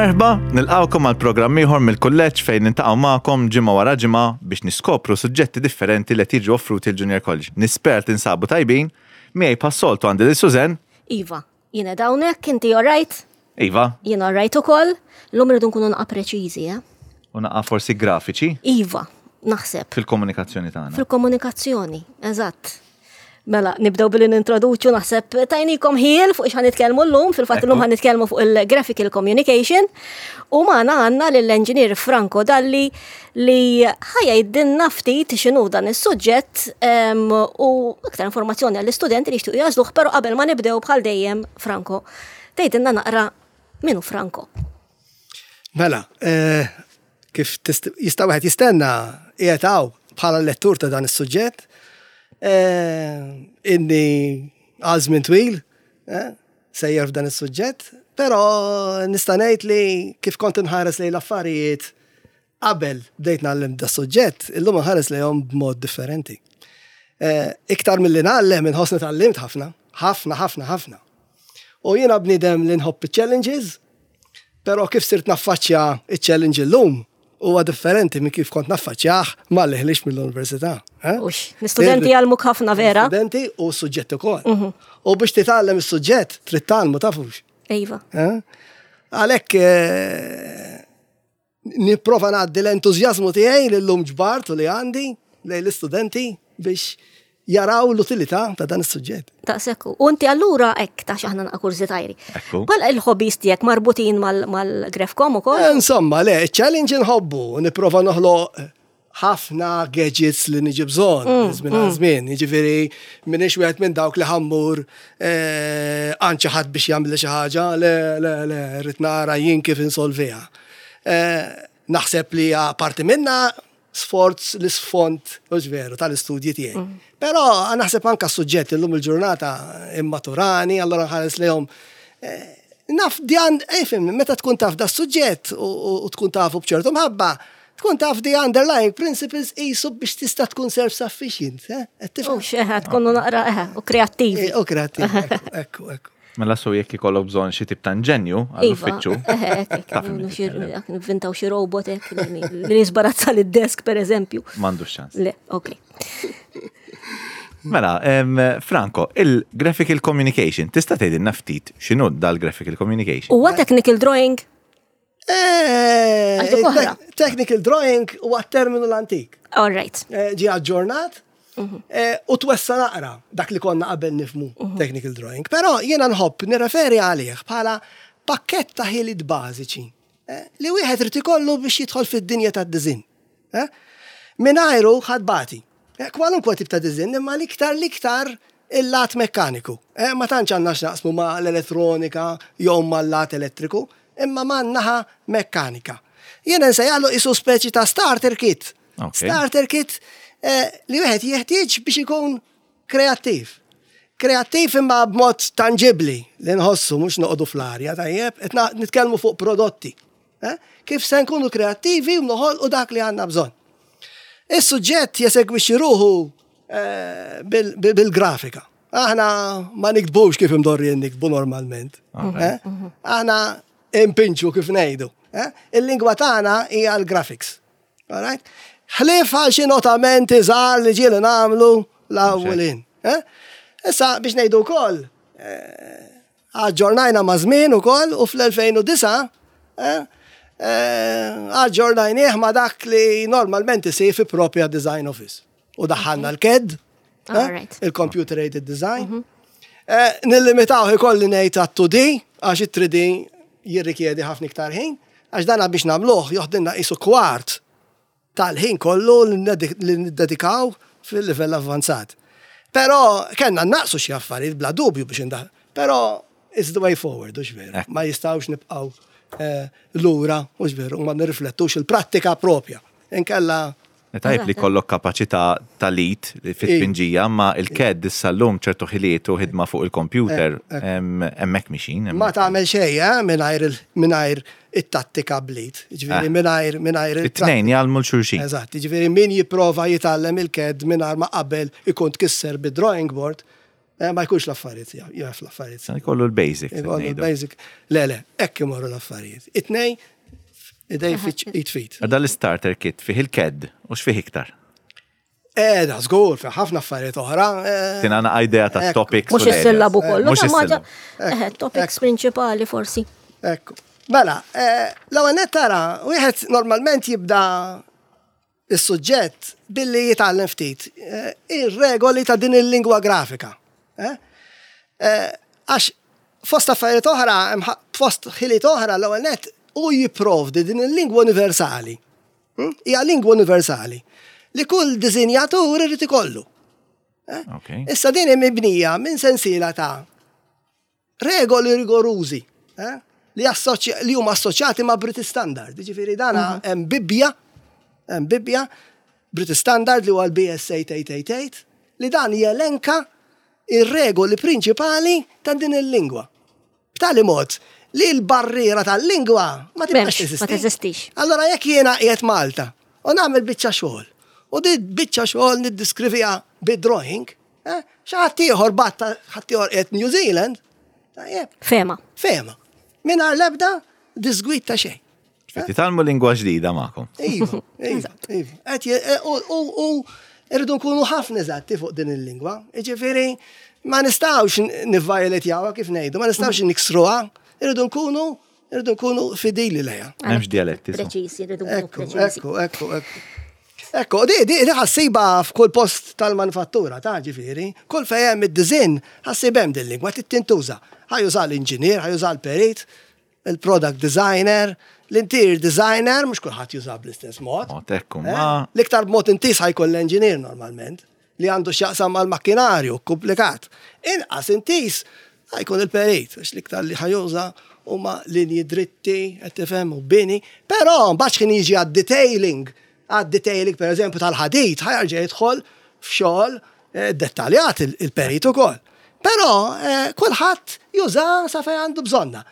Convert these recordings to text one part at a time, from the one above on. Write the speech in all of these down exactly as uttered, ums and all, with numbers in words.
Merħba, nilqgħukom għal programm ieħor mill-kulleġġ fejn niltaqgħu magħkom ġimgħa wara ġimgħa biex niskopru suġġetti differenti li qed jiġu offruti l-Junior College. Nispera tinsabu tajbin, miegħi bħas-soltu għandi lil Susan. Iva, jiena hawnhekk, inti alright? Iva. Jiena alright ukoll. Illum irridu nkunu naqa preċiżi, eh? U naqa forsi grafiċi. Iva, naħseb. Fil-komunikazzjoni tagħna. Fil-komunikazzjoni, eżatt. Mela, nibdew billi nintroduċu, naħseb tajnikom ħjiel fuq x'ħa nitkellmu llum, fil-fatt illum ħa nitkellmu fuq il-graphical communication u magħna għandna lill-engineer Franco Dalli li ħa jgħidilna ftit x'inhu dan is-suġġett u iktar informazzjoni għall-istudenti li jixtiequ jagħżluh, però qabel ma nibdew, bħal dejjem, Franco, tgħidilna naqra min hu Franco. Mela, eh, kif jista' wieħed jistenna, qiegħed hawn bħala lettur ta' dan is-suġġett. Eh, inni għal żmien twil, eh, sejjer f'dan is-suġġett, però nista' ngħid li kif kont inħares lejn l-affarijiet qabel bdejt ngħallem da suġġett, illum nħares lejhom b'mod differenti. Eh, iktar milli ngħallem, inħossni tgħallimt ħafna, ħafna, ħafna, ħafna. U jiena bniedem li nħobb challenges, però kif sirt naffaċċja il-challenge illum huwa differenti minn kif kont naffaċċjah malli ħliġt mill-università. Eh? Ux, l-istudenti jgħallmuk ħafna, vera? Studenti u suġġett ukoll. Mhm. U biex titgħallem is-suġġett trid tgħallmu, tafux. Iva. Eh? Għalhekk eh, nipprova ngħaddi l-entużjażmu tiegħi li llum ġbart u li għandi lejn l-istudenti biex jaraw l-utilità ta' dan is-suġġett. Daqshekk. U inti allura hekk ta' xaħna naqa kurżi tajri. Bħala il-hobbies tiegħek marbutin mal-Grafcom ukoll? Eh, insomma, le, challenge nħobbu, nipprova noħloq ħafna gadgets li niġi bżonn, mm, żmien għal mm. żmien. Jiġifieri m'iniex wieħed minn dawk li ħa mmur eh, għand xi ħadd biex jagħmel xi ħaġa, le, le, le, rrid nara jien kif insolviha. Eh, naħseb li parti minna sforz l-isfond, mhux veru, tal-istudji tiegħi. Mm. Però naħseb anka suġġett illum il-ġurnata immaturani, allora nħares lejhom eh, naf dijan, ifhem, meta tkun taf da suġġett u tkun tafu bċertu mħabba, tkun taf the underlying principles jisu biex tista' tkun self-sufficient. Eh? U xeħa, tkunu naqra, eh, u kreattivi. U kreattivi, ekku, ekku. Mela so jekk ikollok bżonn xi tip ta' inġenju għall-uffiċċju. Nivvintaw xi robot hekk li jisbarazza lid-desk, per eżempju. M'għandux ċans. Le, ok. Mela, Franco, il-graphical communication, tista' tgħidilna ftit x'inhu dal-graphical communication? Huwa technical drawing? Eh, technical drawing huwa terminu l-antik. All right. Eh, ġi aġġornat. Mhm. Eh, u twessa naqra dak li konna qabel nifhmu mhm. technical drawing. Però jiena nħobb nirreferi għalih bħala pakket ta' ħiliet bażiċi eh, li wieħed irid ikollu biex jidħol fid-dinja tad-design. Eh? Mingħajru ħa tbati. Kwalunkwe tip ta' design, imma l-iktar l-iktar il-lat mekkaniku. Ma tantx għandna x'naqsmu ma' l-elettronika jew ma' l-lat elettriku, imma ma' naħa mekkanika. Jiena nsejjaħlu isu speċi ta' starter kit. Starter kit Eh, li wieħed jeħtieġ biex ikun kreattiv. Kreattiv imma b'mod tangibli li nħossu, mhux noqogħdu fl-arja, tajjeb, qed nitkellmu fuq prodotti. Eh? Kif se nkunu kreattivi u noħolqu dak li għandna bżonn. Is-suġġett jesegwixxi ruħu eh, bil-grafika. Aħna ma niktbux kif imdorri niktbu normalment. Aħna impinġu, kif ngħidu. Il-lingwa tagħna hija l-graphics. Alright? Ħlief għal xi notamenti żgħar li ġieli nagħmlu l-awwelin. Eh? Issa biex ngħidu wkoll, eh, aġġornajna ma' żmien ukoll u fl-elfejn u disgħa eh, aġġornajnieh ma' dak li normalment isir fi propja design office. U daħħalna l-C A D, il-Computer Aided Design. Mhm. Nillimitaw ikolli ngħid għat-two D, għax it-three D jirrikjedi ħafna iktar ħin, għax dana biex nagħmluh joħdilna isu kwart tal-ħin kollu li niddedikaw fil-livell avvanzat. Però kellna naqsu xi affarijiet bla dubju biex indaħ. Però it's the way forward, hux veru? Ma jistgħux nibqgħu eh, lura, hux veru, ma nirriflettux il-prattika propja. Inkella Tajb li kollok kapaċità tal-id fit-tpinġija, ma il-C A D issa llum ċertu ħiliet u ħidma fuq il-computer hemmhekk mixin. Ma tagħmel xejn, eh, mingħajr mingħajr it-tattika bl-id. Ġifieri eh. mingħajr mingħajr it-tnejn jgħallmu 'l xulxin. Eżatt, ġifieri min jipprova jitgħallem il-C A D mingħajr ma qabel ikun tkisser bid-drawing board, Eh, ma jkunx l-affarijiet, jaf l-affarijiet. Sa jkollu l-basic. Jkollu l-basic. Le, le, hekk imorru l-affarijiet. It-tnejn, idej id f'id. Da l-starter kit fih il-C A D u x'fih iktar? Eh, da, żgur, fih ħafna affarijiet oħra. eh, Tina idea ta' Ekku. topics. Mhux u l-areas. is-sillabu kollu, Mhux ta' ma is-sillabu. eh, topics prinċipali forsi. Ekku. Mela, eh, l-ewwel nett tara, wieħed normalment jibda is-suġġett billi jitgħallem ftit eh, ir-regoli ta' din il-lingwa grafika. Eh? Eh, Għax fost affarijiet oħra, hemm ħa- fost ħiliet oħra, l-ewwel nett u jipprovdi din il-lingwa universali. Hm? Hija lingwa universali li kull disinjatur irid ikollu. Ok. Issa din hemm mibnija minn sensiela ta' regoli rigorużi eh, li, assoċi- li huma assoċjati ma' British Standard. Ġifieri dana hemm Bibbja, hemm Bibbja, British Standard li huwa l-B S eight eight eight eight, li dan jelenka ir-regoli prinċipali ta' din il-lingwa. B'tali mod li l-barriera tal-lingwa ma tibqax M'hemmx, teżisti. ma teżistix. Allora jekk jiena qiegħed Malta u nagħmel biċċa xogħol u di biċċa xogħol niddeskriviha bid-drawing, eh, xi ħadd ieħor batta ħadd ieħor qiegħed New Zealand, tajjeb, Fehma. fehma. Mingħajr l-ebda disgwid ta' xejn. Titgħallmu lingwa ġdida magħkom. Iva, iva, iva. Qed je- e, U u- u irridu nkunu ħafna eżatti fuq din il-lingwa. Jiġifieri ma nistgħux nivvioletjawha kif ngħidu, ma nistgħux niksruha, irridu nkunu irridu nkunu fidili lejha. M'hemmx dialetti. So. Preċisi, rridu nkunu Ekku, preċisi. ekku, ekku, ekku. Ekku, di, di, di ħa ssibha f'kull post tal-manifattura, ta' ġifieri, kull fejn hemm id-design ħa ssib hemm din lingwa tintuża. Ħa juża l-inġinier, ħa juża l-perit, il-product designer, l-interior designer, mhux kulħadd juża bl-istess mod. Mod, ekku, Eh? ma- L-iktar b'mod intis ħa jkun l-engineer normalment, li għandu x'jaqsam mal-makkinarju, komplikat. Inqas intis ħa jkun il-perit, għax l-iktar li ħa juża huma linji dritti, qed tifhem, u bini, però mbagħad x'ħin jiġi għad-detailing, għad-detailing per eżempju tal-ħadid, ħa jerġa' jidħol f'xogħol eh, dettaljat il- il-perit ukoll. Però eh, kulħadd juża sa fejn għandu bżonna.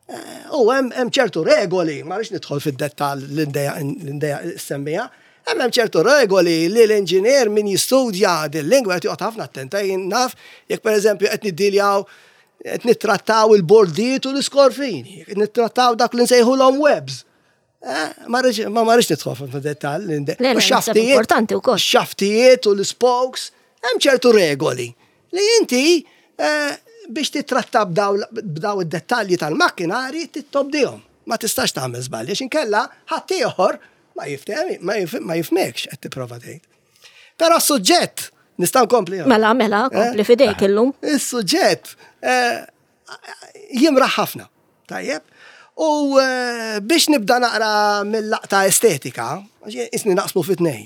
Eh, U hemm hemm ċertu regoli, ma rridx nidħol fid-dettall l-indeja l-indeja semmija, hemm hemm ċertu regoli li l-inġinier min jistudja din-lingwa qed joqgħod ħafna attenta. Jien naf jekk pereżempju qed niddiljaw, qed nittrattaw il-bordijiet u l-iskorfini, qed nittrattaw dak li nsejħulhom webs. Eh, Ma rridx ma ma rridx nidħol fid-dettall. Le, le, naħseb importanti wkoll. Xaftijiet u l-spokes, hemm ċertu regoli li inti eh, biex titratta b'daw b'daw id-dettalji tal-makkinari tobdihom. Ma tistax tagħmel żbalji għax inkella ħadd ieħor ma jifhem ma jif- ma jifhmekx qed tipprova tgħid. Però s-suġġett nista' nkompli. Mela, mela, kompli Eh? fidejk illum. Is-suġġett eh, jimraħ ħafna. Tajjeb. U eh, biex nibda naqra mill-laqta estetika, għax isni naqsmu fi tnejn.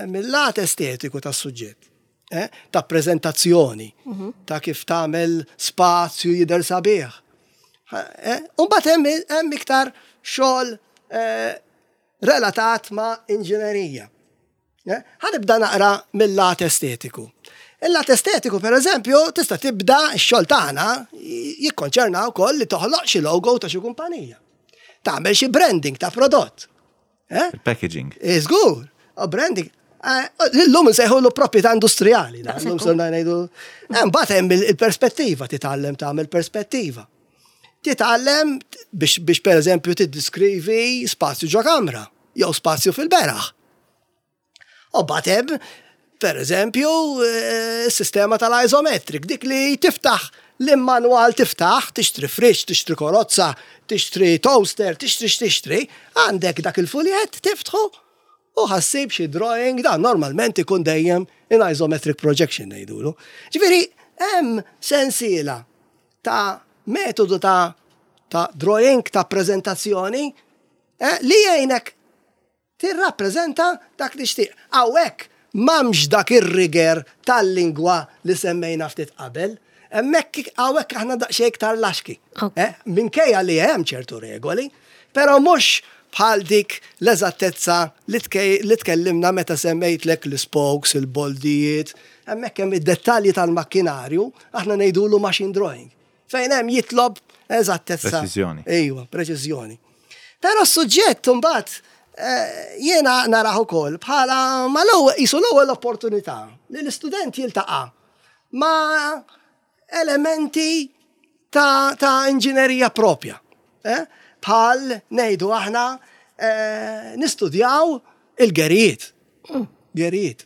Mill-lat estetiku tas-suġġett, eh, ta' prezentazzjoni, ta' kif tagħmel spazju jidher sabiħ. Eh, U mbagħad hemm hemm iktar xogħol eh, relatat ma' inġinerija. Eh, Ħa nibda naqra mill-lat estetiku. Il-lat estetiku, per eżempju, tista' tibda x-xogħol tagħna jikkonċerna wkoll li toħloq xi logo ta' xi kumpanija. Tagħmel xi branding ta' prodott. Eh? Il-packaging. Żgur, u branding. Eh, Illum nsejħulu proprjetà industrijali, da, illum Daqshekk. sirna ngħidu. Eh, Mbagħad hemm il- il-perspettiva, titgħallem tagħmel perspettiva. Titgħallem biex biex pereżempju tiddiskrivi spazju ġo kamra jew spazju fil-beraħ. U mbagħad hemm per eżempju, eh, s-sistema tal-isometric, dik li tiftaħ l-manual tiftaħ, tixtri fridge, tixtri karozza, tixtri toaster, tixtri x'tixtri, għandek dak il-fuljet tiftħu u ħa ssib xi drawing, dan normalment ikun dejjem in isometric projection ngħidulu. Ġifieri hemm sensiela ta' metodu ta' ta' drawing, ta' prezentazzjoni eh, li jgħinek tirrappreżenta dak li tixtieq. Hawnhekk m'hemmx dak ir-rigor tal-lingwa li semmejna ftit qabel. Hemmhekk hawnhekk aħna daqsxejn iktar laxki. Ok. Eh, Minkejja li hemm ċertu regoli, però mhux bħal dik l-eżattezza li tkej- li tkellimna meta semmejtlek l-spokes, il-boldijiet, hemmhekk hemm id-dettalji tal-makkinarju, aħna ngħidulu machine drawing. Fejn hemm jitlob eżattezza. Preċiżjoni. Ejwa, preċiżjoni. Però s-suġġett mbagħad eh, jiena narah ukoll bħala ma l-ewwel qisu l-ewwel opportunità li l-istudent jiltaqa' ma elementi ta', ta inġinerija propja. Eh? Bħal ngħidu aħna eh, nistudjaw il-gerijiet. Gerijiet.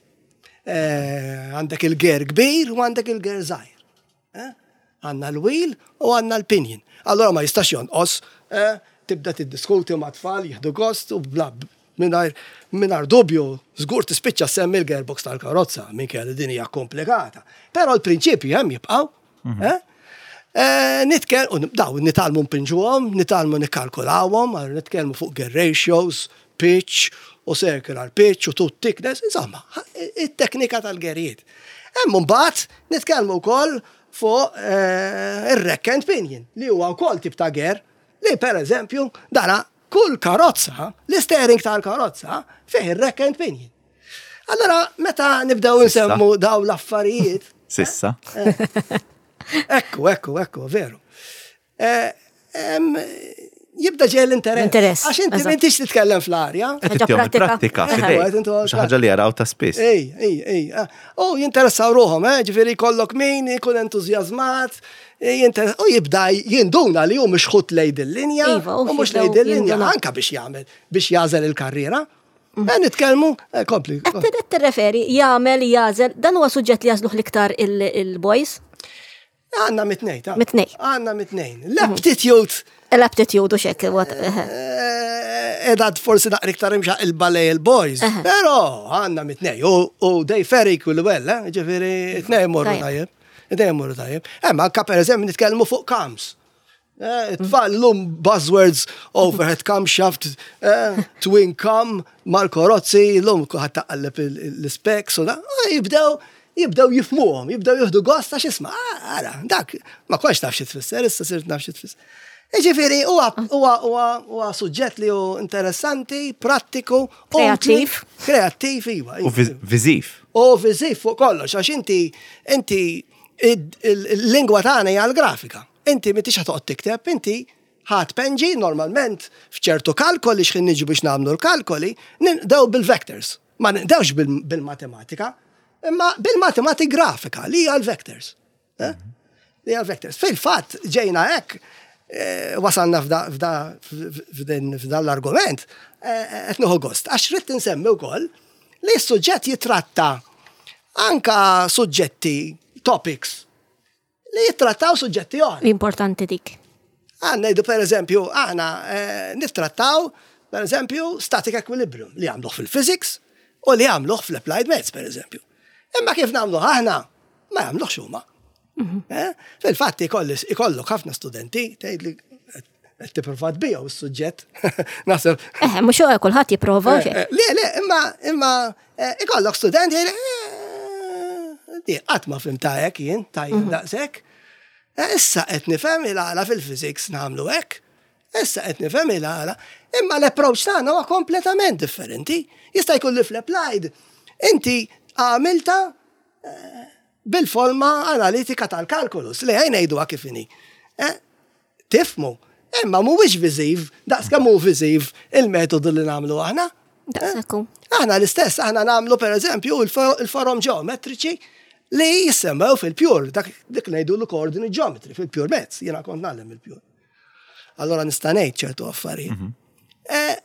Eh, Għandek il-ger kbir u għandek il-ger żgħir. Eh? Għandna l-wheel u għandna l-pinion. Allora ma jistax jonqos, eh, tibda tiddiskuti ma' tfal, jieħdu gost u bla mingħajr mingħajr dubju, żgur tispiċċa semmi l-gearbox tal-karozza, minkejja li din hija komplikata. Però l-prinċipji hemm jibqgħu. eh? Eh, Nitkel, u daw, nitgħallmu npinġuhom, nitgħallmu nikkalkulawhom, għal nitkellmu fuq gear ratios, pitch, u circular pitch, u tooth thickness, insomma, it-teknika tal-gerijiet. Hemm mbagħad nitkellmu wkoll fuq eh, ir-rack and pinion, li huwa wkoll tip ta' gear, li per eżempju, dana kull karozza, l-steering tal-karozza, fih ir-rack and pinion. Allora, meta nibdew Sissa. nsemmu daw l-affarijiet, Sissa. Ekku, ekku, ekku, veru. Eh, em, Jibda ġej l-interess. Interess, Għax inti eżatt. m'intix titkellem fl-arja. Qed Ħaġa ittihom pratika. il-prattika Eħe. f'idejk. Qed intu Xi ħaġa li jaraw ta' spiss. Ej, ej, ej. ah. U jinteressaw ruħhom, eh, ġifieri kollok min ikun entużjażmat, eh, jinter- u jibda jinduna li hu mhux lejn il-linja, Iva, u u mhux jibdew lejn il-linja, jindunaw. anka biex jagħmel, biex jagħżel il-karriera. Eh, Nitkellmu, eh, kompli. Qed qed tirreferi, jagħmel, jagħżel, dan huwa suġġett li jagħżluh l-iktar il- il-boys, Għandna mit-tnejn, ta' Mit-tnejn. Għandna mit-tnejn. L-aptitude l-aptitude u xek, what- eħe. Eh, Edad forsi naqra iktar imxaqilba lejn il-boys, pero għandna mit-tnejn, u u they fare equally well, eh? Ġifieri, it-tnejn morru Tajjeb. tajjeb. It-tnejn morru tajjeb. Hemm anka per eżempju nitkellmu fuq cams. Eh, Tfal l-lum buzzwords, overhead camshaft, eh, twin cam, mal-karozzi, l-lum kuħat taqalleb l-specs u da, ah, jibdew jibdew jifhmuhom, jibdew jieħdu gost għax isma' ah, ara, dak, ma kontx naf xi tfisser, issa sirt naf xi tfisser. Ġifieri, huwa huwa huwa huwa suġġett li hu interessanti, prattiku, utli, Kreattiv. Kreattiv, iva. U iva. viż- viżiv. U viżiv fuq kollox, għax inti inti id- il- il-lingwa tagħna hija l-grafika. Inti m'intix ħa toqgħod tikteb, inti ħa tpinġi normalment f'ċertu kalkoli x'ħin niġu biex nagħmlu l-kalkoli, nibdew bil-vectors. Ma nibdewx bil- bil-matematika, imma bil-matematik grafika li hija l-vectors. Eh? Li hija l-vectors. Fil-fatt ġejna hekk eh, wasalna f'da f'da f'din f'dan l-argument, eh, qed nieħu gost. Għax ridt insemmi wkoll li s-suġġett jitratta anka suġġetti, topics, li jittrattaw suġġetti oħra. Importanti dik. Għandna ngħidu per eżempju, aħna eh, nittrattaw per eżempju static equilibrium li għamluh fil-physics u li għamluh fl-applied maths per eżempju. Imma kif nagħmluh aħna, ma jagħmluhx huma. Eh? Fil-fatt ikolli- ikollok ħafna studenti tgħid li qed tipprova tbigħu s-suġġett. Naħseb Eħe, mhux kulħadd jipprova u xek. Eh, Le, le, imma, imma, eh, ikollok student jgħid, eh, di, qatt ma fhimtha hekk jien, tajjeb daqshekk. Eh, Issa qed nifhem il-għala fil-physics nagħmlu hekk. Issa qed nifhem il-għala. Imma l-approach tagħna huwa kompletament differenti. Jista' jkun li fl-applied inti għamilta eh, bil-forma analitika tal-kalkulus li ħa ngħidu kif inhi. Eh, Tifhmu, imma mhuwiex viżiv, daqs kemm hu viżiv il-metodu li nagħmlu aħna. Daqshekk hu. Aħna l-istess, aħna nagħmlu per eżempju il-forom ġeometriċi li jissemmew fil-pure, dak dik ngħidu l-coordinate geometry fil-pure maths, jiena kont ngħallem il-pure. Allora nista' ngħid ċertu affarijiet. Eh,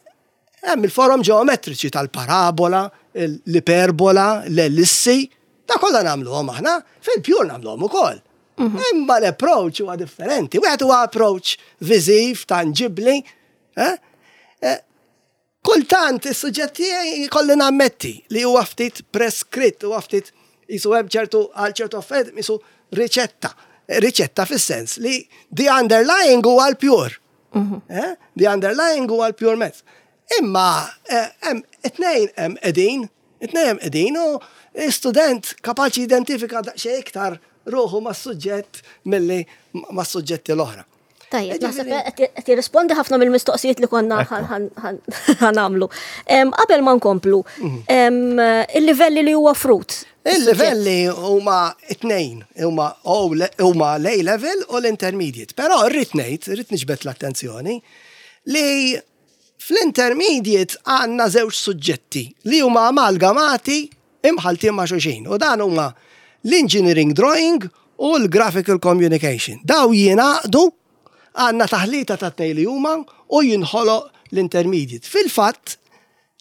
Hemm il-forom ġeometriċi tal-parabola, l-iperbola, l-ellissi, da kollha nagħmluhom aħna, fil-pure nagħmluhom ukoll. Imma l-approach huwa differenti. Wieħed huwa approach viżiv, tangibli, eh? Eh, Kultant is-suġġett tiegħi jkolli nammetti li huwa ftit preskritt, huwa ftit jisu hemm ċertu għal ċertu affarijiet jisu riċetta. Riċetta fis-sens li the underlying huwa l-pure. Eh? The underlying huwa l-pure maths. Imma eh, hemm it-tnejn hemm qegħdin, it-tnejn hemm qegħdin u student kapaċi identifika daqsxejn iktar ruħu mas-suġġett milli mas-suġġetti l-oħra. Tajjeb, naħseb Ġifieri- qed jirrispondi ħafna mill-mistoqsijiet li konna Ekku. ħa nagħmlu. Qabel ma nkomplu, em, il-livelli li huwa offrut. Il-livelli huma it-tnejn, huma huma l-A level u l-intermediate. Però rrid ngħid, rrid niġbed l-attenzjoni li fl-intermediate għandna żewġ suġġetti li huma amalgamati imħaltin ma' xulxin. U dan huma l-engineering drawing u l-Graphical Communication. Daw jingħaqdu, għandna taħlita ta' tnejn li huma u jinħoloq l-intermediate. Fil-fatt,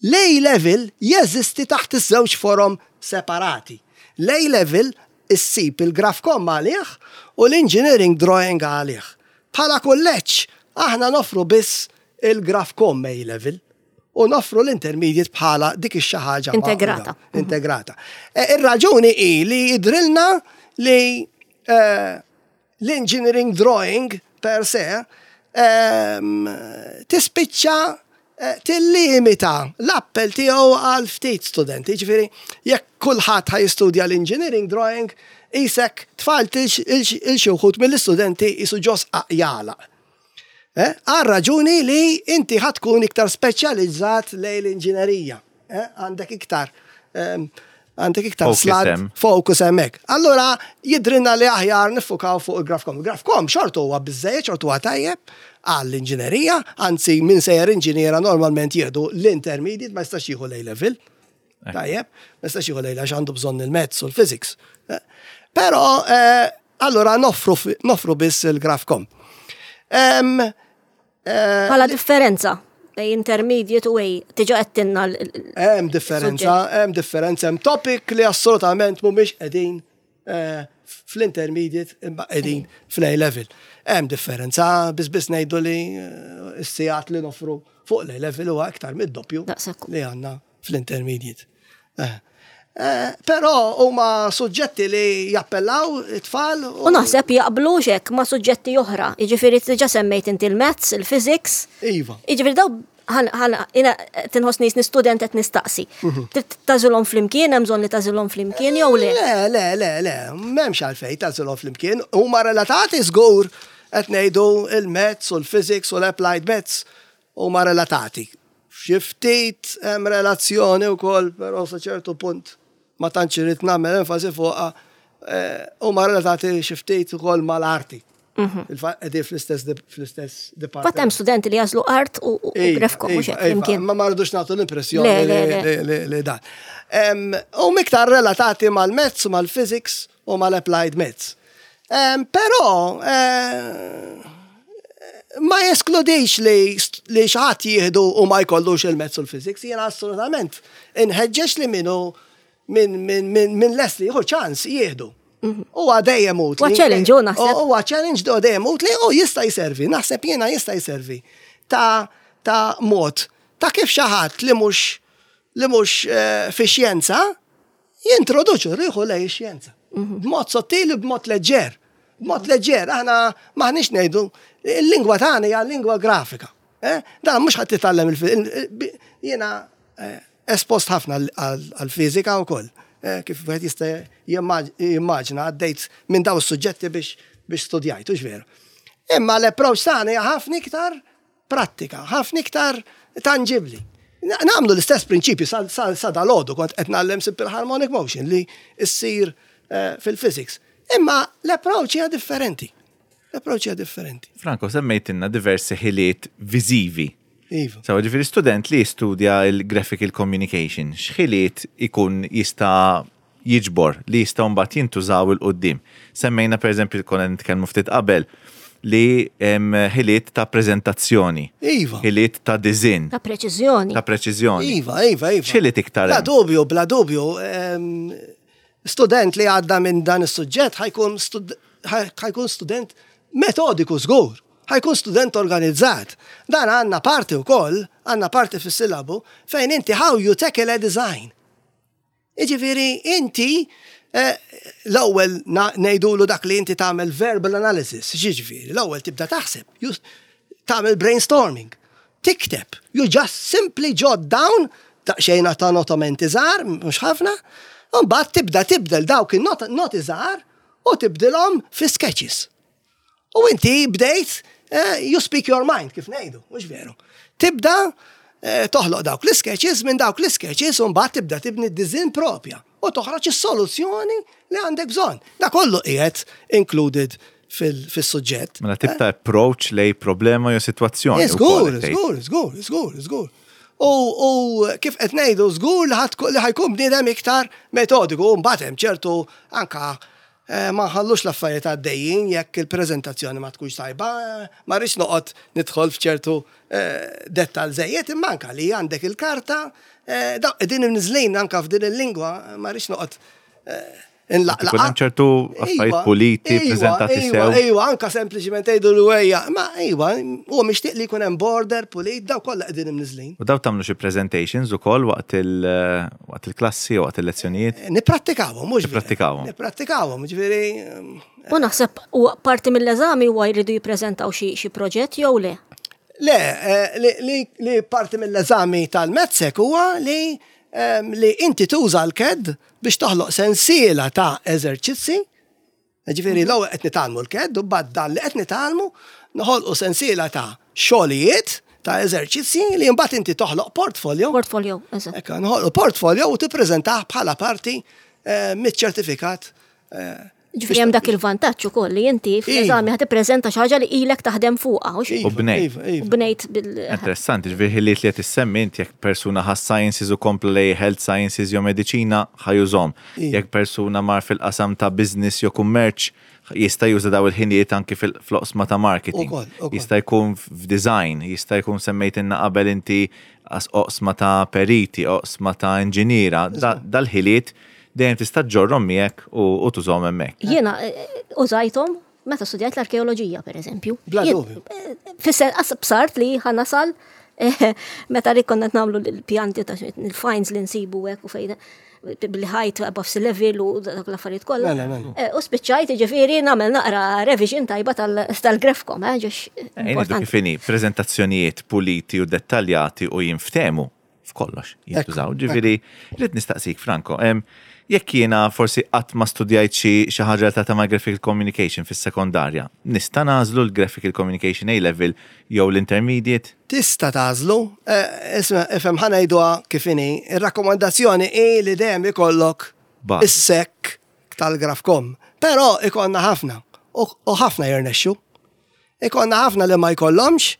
l-A-level jeżisti taħt iż-żewġ forom separati. L-A-level issib il-Grafcom għalih u l-Engineering Drawing għalih. Bħala kulleġġ, aħna nofru biss il-Grafcom A-level u nofru l-intermediate bħala dik ix ħaġa Integrata. Integrata. E, Ir-raġuni hi li jidrilna li eh, l-engineering drawing per se ehm, tispiċċa eh, tillimita l-appell tiegħu għal ftit studenti. Ġifieri, jekk kulħadd ħa jistudja l-engineering drawing, isek tfalt lil xi wħud mill-istudenti jisu ġos jala. Eh, Għal raġuni li inti ħa tkun iktar speċjalizzat lejn l-inġinerija. Eh, Għandek iktar ehm, għandek iktar Focus slad hemm. focus hemmhekk. Allura jidrinna li aħjar niffukaw fuq il-Grafcom. Il-Grafcom xorta huwa biżejjed, xorta huwa tajjeb għall-inġinerija, anzi min sejjer inġiniera normalment jieħdu l-intermediate, ma jistax jieħu l-A-level. Tajjeb, ma jistax jieħu l-A għax għandu bżonn il-maths u l-physics. Eh, Però eh, allura noffru noffru biss il-Grafcom. Em, eh, Bħala differenza bejn intermediate u A, diġà għedtilna l- l- Hemm differenza, hemm differenza, hemm topic li assolutament mhumiex qegħdin eh, fl-intermediate imma qegħdin fl-A level. Hemm differenza, biss biss ngħidu li eh, s-sigħat li nofru fuq l-A level huwa aktar mid-doppju Daqshekk. li għandna fl-intermediate. Eh, eh, Però huma suġġetti li jappellaw it-tfal U naħseb jaqblu xek ma' suġġetti oħra. Jiġifieri diġà semmejt inti il-maths, il-physics. Iva. Jiġifieri daw ħan ħan jiena tinħossni jiena student qed nistaqsi. Trid tagħżilhom flimkien, hemm bżonn li tagħżilhom flimkien jew le? Le, le, le, le, m'hemmx għalfejn tagħżilhom flimkien. Huma relatati żgur qed ngħidu il-maths u l-physics u l-applied maths huma relatati. Xi ftit hemm relazzjoni wkoll, però sa ċertu punt ma tantx irid nagħmel enfasi fuqha, eh, huma relatati xi ftit ukoll mal-arti. Il-fatt qegħdin fl-istess fl-istess Fatt department. hemm studenti li jagħżlu art u u- u Iva, Grafcom mhux iva, hekk iva, flimkien. Ma ma rridux nagħtu l-impressjoni Le, le, li- le. li- li li dan. Em, U iktar relatati mal-maths, mal-physics u mal-applied maths. Em, Però eh, ma jeskludix li li xi ħadd jieħdu u ma jkollux il-maths u l-physics, jiena assolutament inħeġġeġ li minnu minn min, min, min lest li jieħu ċans jieħdu. Huwa dejjem utli. Huwa challenge, hu naħseb. Huwa challenge do dejjem utli u jista' jservi. Naħseb jiena jista' jservi ta' ta' mod ta' kif xi ħadd li mhux li mhux eh, fi xjenza jintroduċu ruħu lejn ix-xjenza. B'mod sottili, b'mod leġġer. B'mod leġġer, aħna maħniex ngħidu, il-lingwa tagħna hija lingwa grafika. Eh? Dan mhux ħadd titgħallem il jiena eh, espost ħafna għal-fiżika wkoll. Eh, Kif wieħed jista' jimmaġ- jimmaġina għaddejt minn daw is-suġġetti biex biex studjajt, hux veru. Imma l-approach tagħna hija ħafna iktar prattika, ħafna iktar tangibli. Na- Nagħmlu l-istess prinċipju sa, sa, sa dal-għodu kont qed ngħallem simple harmonic motion li ssir eh, fil-physics. Imma l-approach hija differenti. L-approach hija differenti. Franco, semmejtilna diversi ħiliet viżivi. Iva. Sawa ġifieri student li jistudja il-graphical communication, x'ħiliet ikun jista' jiġbor li jista' mbagħad jintużaw 'il quddiem. Semmejna pereżempju konna nitkellmu ftit qabel li hemm ħiliet ta' preżentazzjoni, Iva. ħiliet ta' design, Ta' preċiżjoni. ta' preċiżjoni. Iva, iva, iva. X'ħiliet iktar Bla hemm? dubju, bla dubju. em, Student li għadda minn dan is-suġġett ħa jkun stud- ħa jkun student metodiku żgur. Ħa jkun student organizzat. Dan għandna parti wkoll, għandna parti fis-sillabu fejn inti how you tackle a design. Iġifieri inti eh, l-ewwel na- ngħidulu dak li inti tagħmel verbal analysis, ġifieri, l-ewwel tibda taħseb, you- tagħmel brainstorming, tikteb, you just simply jot down daqsxejn ta' notamenti żgħar, mhux ħafna, u mbagħad tibda tibdel dawk in-noti żgħar u tibdilhom fi sketches. U inti bdejt, eh, you speak your mind, kif ngħidu, mhux veru. Tibda eh, toħloq dawk l-sketches, minn dawk l-sketches, u mbagħad tibda tibni d-design propja u toħroġ is-soluzzjoni li għandek bżonn. Da kollu qiegħed included fil- fis-suġġett. Mela tip ta' approach lejn problema jew sitwazzjoni. Eh, ukoll Żgur, qed tgħid. żgur, żgur, żgur, żgur. U, u kif qed ngħidu żgur li ħadd li ħa jkun bniedem iktar metodiku u mbagħad hemm ċertu anka Eh, Ma nħallux l-affarijiet għaddejjin jekk il-preżentazzjoni ma tkunx tajba, eh, ma rridx noqgħod nidħol f'ċertu eh, dettal żejjed, imma anka li għandek il-karta, eh, daw qegħdin imniżlin anka f'din il-lingwa, ma rridx noqgħod eh, nlaqlaqa. Ikun hemm ċertu affarijiet Iva, puliti, iva, preżentati iva, sew. Iva, anka sempliċiment tgħidu l-wejja, ma iva, huwa mixtieq li jkun hemm border pulit, daw kollha qegħdin imniżlin. U daw tagħmlu xi presentations ukoll waqt il- waqt il-klassi u waqt il-lezzjonijiet. Nipprattikawhom, mhux vera. Nipprattikawhom. Nipprattikawhom, ġifieri U naħseb u parti mill-eżami huwa jridu jippreżentaw xi xi proġett jew le. Le, eh, li, li, li parti mill-eżami tal-MATSEC huwa li, em, li inti tuża l-CAD biex toħloq sensiela ta' eżerċizzi. Ġifieri l-ewwel qed nitgħallmu l-CAD u bad dan li qed nitgħallmu noħolqu sensiela ta' xogħlijiet ta' eżerċizzi li mbagħad inti toħloq portfolio. Portfolio, eżatt. Ekka, noħolqu portfolio u tippreżentah bħala parti eh, miċ-ċertifikat. eh, Ġifieri hemm dak il-vantaġġ ukoll li inti fl-eżami ħa tippreżenta xi ħaġa li ilek taħdem fuqha u Iva, U bnejt. Iva, iva. bnejt bil. Interessanti, ġifieri ħiliet li qed issemmi int jekk persuna ħa sciences u kompla lej health sciences jew mediċina ħa jużahom. Iva. Jekk persuna mar fil-qasam ta' business jew kummerċ jista' juża daw il-ħiliet anki fil-oqsma ta' marketing. Ukoll, ukoll. Jista' jkun f'design, jista' jkun semmejtilna qabel inti as oqsma ta' periti, oqsma ta' inġiniera, da- dal-ħiliet dejjem tista' ġorrom miegħek u u tużhom hemmhekk. Jiena eh, użajthom meta studjajt l-arkeoloġija, per eżempju. Bla Jien- dubju. eh, Fisser, qas bsart li ħa nasal eh, meta li konna nagħmlu l-pjanti ta' il-finds li nsibu hekk u fejn bil-height above sea level u dak l-affarijiet kollha. Mela, mela. Eh, U spiċċajt ġifieri nagħmel naqra revision tajba tal- tal-Grafcom, eh, ġiex Ngħidu importanti. kif inhi, prezentazzjonijiet puliti u dettaljati u jinftemu f'kollox jintużaw. Ġifieri, rrid nistaqsik, Franco, em, jekk jiena forsi qatt ma studjajt xi xi ħaġa ta' ma' graphical communication fis-sekondarja, nista' nagħżlu l-graphical communication A-level jew l-intermediate? Tista tagħżlu, eh, isma, ifhem ħa ngħiduha kif inhi, ir-rakkomandazzjoni hi li dejjem ikollok Bażi. is-SEC tal-Grafcom. Però ikollna ħafna u u ħafna jirnexxu. Ikollna ħafna li ma jkollhomx,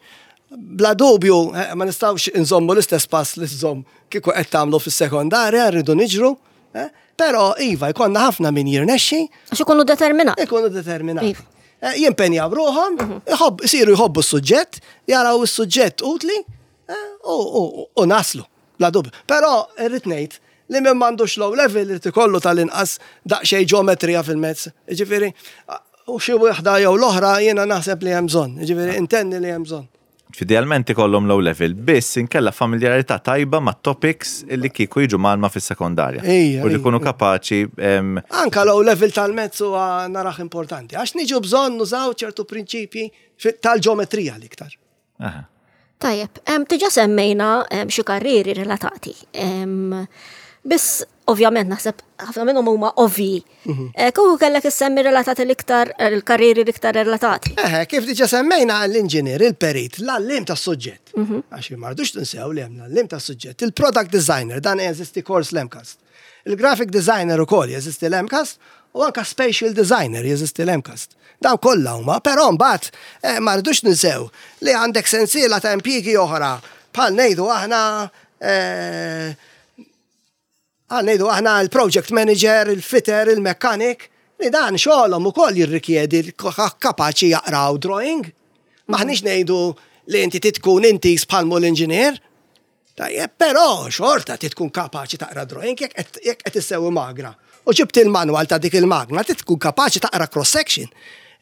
bla dubju eh, ma nistgħux inżommu l-istess pass li żomm kieku qed tagħmlu fis-sekondarja, rridu niġru, eh, però iva jkollna ħafna min jirnexxi, Għax ikunu determinat. ikunu determinati. Iva. Eh, Jimpenjaw ruħhom, iħobb, isiru jħobbu s-suġġett, jaraw is-suġġett utli eh, u, u, u naslu, bla dubju. Però irrid ngħid li min m'għandux low level irid ikollu tal-inqas daqsxejn ġeometrija fil-mezz. Ġifieri, u xi waħda jew l-oħra jiena naħseb li hemm bżonn, ġifieri intenni li hemm bżonn. Idealment ikollhom low level, biss inkella familjarità tajba ma' topics li kieku jiġu mgħallma fis-sekondarja. Ija, U li ija, jkunu kapaċi em, Anka low level tal-mezz huwa narah importanti, għax niġu bżonn nużaw ċertu prinċipji fi- tal-ġeometrija l-iktar. aha. Tajjeb, em, diġà semmejna em, xi karrieri relatati. Em, Biss, ovvjament, naħseb ħafna minnhom huma ovvi. Eh, Kieku kellek issemmi relatati l-iktar, il-karrieri l-iktar relatati. Eħe, kif diġà semmejna l-inġinier, il-perit, l-għalliem tas suġġett. Għax ma rridux tinsew li hemm l-għalliem tas suġġett. Il-product designer, dan jeżisti kors l-MCAST. Il-graphic designer ukoll jeżisti l-MCAST u anka spatial designer jeżisti l-MCAST. Dawn kollha huma, però mbagħad eh, ma rridux ninsew li għandek sensiela ta' impjiegi oħra bħal ngħidu aħna eh, Għal ngħidu aħna il-project manager, il-fitter, il-mechanic, li dan xogħolhom ukoll jirrikjedi kapaċi jaqraw drawing. Maħniex ngħidu li inti titkun inti bħalmu l-inġinier. Tajjeb, però xorta titkun kapaċi taqra drawing jekk qed- jekk qed issewwi magna. U ġibt il-manual ta' dik il-magna, titkun kapaċi taqra cross-section.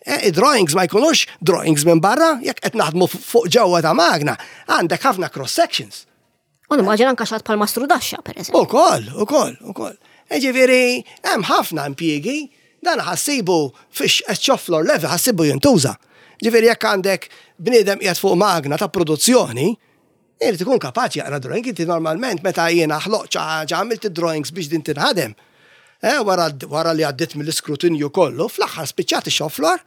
E, drawings ma jkunux drawings minn barra, jekk qed naħdmu fuq ġewwa ta' magna, għandek ħafna cross-sections. U nimmaġina anka xi ħadd bħal mastrudaxxa, per eżempju. Ukoll, ukoll, ukoll. Ġifieri, hemm ħafna impjiegi, dan ħa ssibu fix shop floor level ħa ssibu jintuża. Ġifieri jekk għandek bniedem qiegħed fuq magna ta' produzzjoni, irid ikun kapaċi jaqra drawing, inti normalment meta jiena ħloq xi ħaġa għamilt id-drawings biex din tinħadem. Eh, wara, wara li għaddit mill-iskrutinju kollu, fl-aħħar spiċċat ix-shop floor,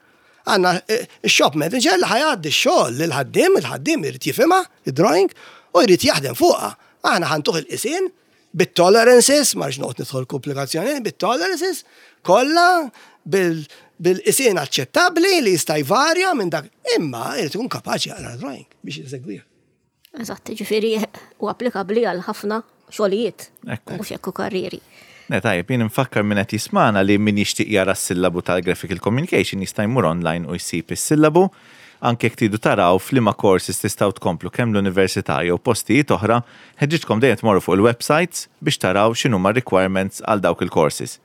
għandna eh, il-shop manager li ħa jgħaddi x-xogħol lil ħaddiem, il-ħaddiem irid jifhimha, id-drawing, u jrid jaħdem fuqha. Aħna ħa ntuh il-qisien bit-tolerances, ma rridx noqgħod nidħol komplikazzjoni, bit-tolerances, kollha bil-qisien aċċettabbli li jista' jvarja minn dak, imma jrid ikun kapaċi jaqra drawing biex jeżegwiha. Eżatt, ġifieri u applikabbli għal ħafna xogħlijiet. Ekku. Mhux hekk u karrieri. Ne, tajjeb, jien nfakkar min qed jismana li min jixtieq jara s-sillabu tal-Graphical Communication jista' jmur online u jsib is-sillabu. Anke jekk tridu taraw f'liema courses tistgħu tkomplu kemm l-università jew postijiet oħra, ħeġġiġkom dejjem tmorru fuq il-websites biex taraw x'inhuma requirements għal dawk il-courses.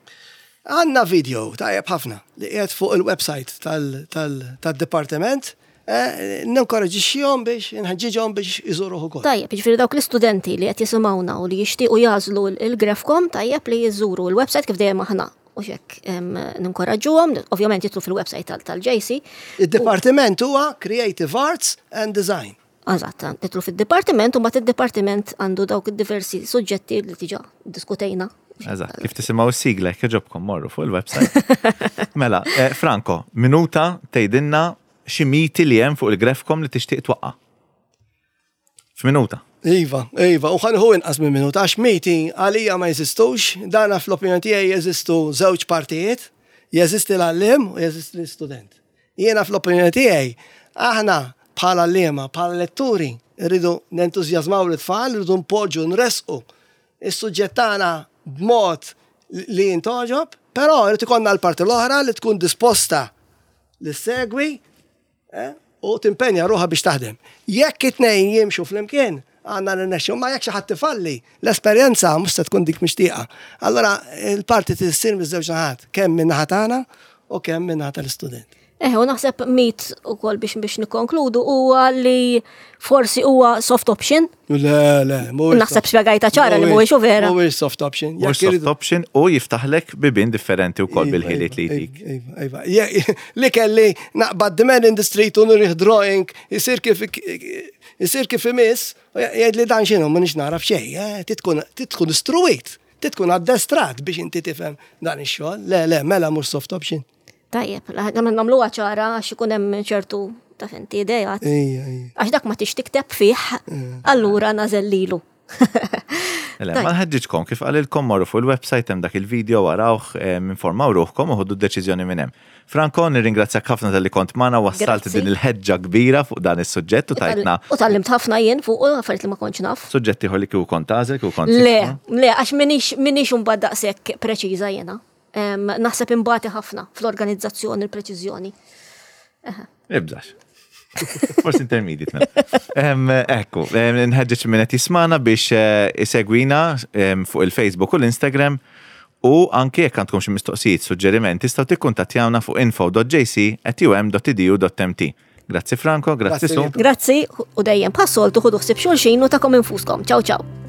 Għandna video tajjeb ħafna li qiegħed fuq il-website tal-dipartiment. Ninkoraġixxihom biex nħeġġiġhom biex iżuruh ukoll. Tajjeb, jiġifieri dawk l-istudenti li qed jisimgħuna u li jixtiequ jagħżlu il-Grafcom, tajjeb li jiżuru l-website kif dejjem aħna u xek ninkoraġġuhom, ovvjament jidħlu fil-website tal-J C. Id-dipartiment huwa Creative Arts and Design. Eżatt, jidħlu fid-dipartiment u mbagħad id-dipartiment għandu dawk id-diversi suġġetti li diġà diskutejna. Eżatt, kif tisimgħu s-sigla jekk jogħġobkom morru fuq il-website. Mela, eh, Franco, minuta tgħidilna xi miti li hemm fuq il-Grafcom li tixtieq twaqqa'. F'minuta. Iva, iva, u ħa nieħu inqas minn minuta, għax miti għalija ma jeżistux, dana fl-opinjoni tiegħi jeżistu żewġ partijiet, jeżisti l-għalliem u jeżisti l-istudent. Jiena fl-opinjoni tiegħi, aħna bħala għalliema, bħala letturi, rridu nentużjażmaw l-tfal, rridu npoġġu, nresqu is-suġġett tagħna b'mod li jintgħoġob, però rrid ikollna l-parti l-oħra li tkun disposta li segwi eh, u timpenja ruħha biex taħdem. Jekk it-tnejn jimxu flimkien, għandna nirnexxu, ma jekk xi ħadd tifalli, l-esperjenza mhux se tkun dik mixtieqa. Allora il-parti tissir miż-żewġ naħat, kemm minn naħa tagħna u kemm minn naħa tal-istudent. Eh, u naħseb mit ukoll biex biex nikkonkludu huwa li forsi huwa soft option. Le, le, mhuwiex Naħseb spjegajta ċara li mhuwiex u vera. Mhuwiex soft option. Mhux soft option u jiftaħlek bibien differenti wkoll bil-ħiliet li jtik. Iva, iva. Je- Li kelli naqbad the man in the street u nurih drawing, jisir kif jisir kif imiss, u jgħid li dan x'inhu, m'iniex nagħraf xejn, eh, titkun titkun istruwit, titkun addestrat biex inti tifhem dan ix-xogħol. Le, le, mela mhux soft option. Tajjeb, nagħmluha ċara għax ikun hemm ċertu ta' fenti idejat. Ejja, ejja. Għax dak ma tix tikteb fih, allura nażel lilu. Le, ma nħeġġiġkom kif qalilkom morru fuq il-website, hemm dak il-video, warawh, informaw ruħkom u ħudu d-deċiżjoni minn hemm. Franco, nirringrazzjak ħafna talli kont magħna, wassalt Grazzi. din il-ħeġġa kbira fuq dan is-suġġett u tajtna U tgħallimt ħafna jien fuq u affarijiet li ma kontx naf. suġġetti ieħor li kieku kont tagħżel, kieku kont Le, tisma'. le, għax m'iniex m'iniex imbagħad daqshekk preċiża jiena. Em, Naħseb imbati ħafna fl-organizzazzjoni, il-preċiżjoni. Ibżax. Forsi intermediate mela. Em, Ekku, em, nħeġġeġ min qed jismana biex eh, isegwina em, fuq il-Facebook u l-Instagram u anke jekk għandkom xi mistoqsijiet, suġġerimenti, tistgħu tikkuntattjawna fuq info dot J C at U M dot edu dot M T. Grazzi Franco, grazzi Grazzi Su. lilkom. Grazzi u dejjem bħas-soltu ħudu ħsieb xulxin u tagħkom infuskom. Ciao ciao.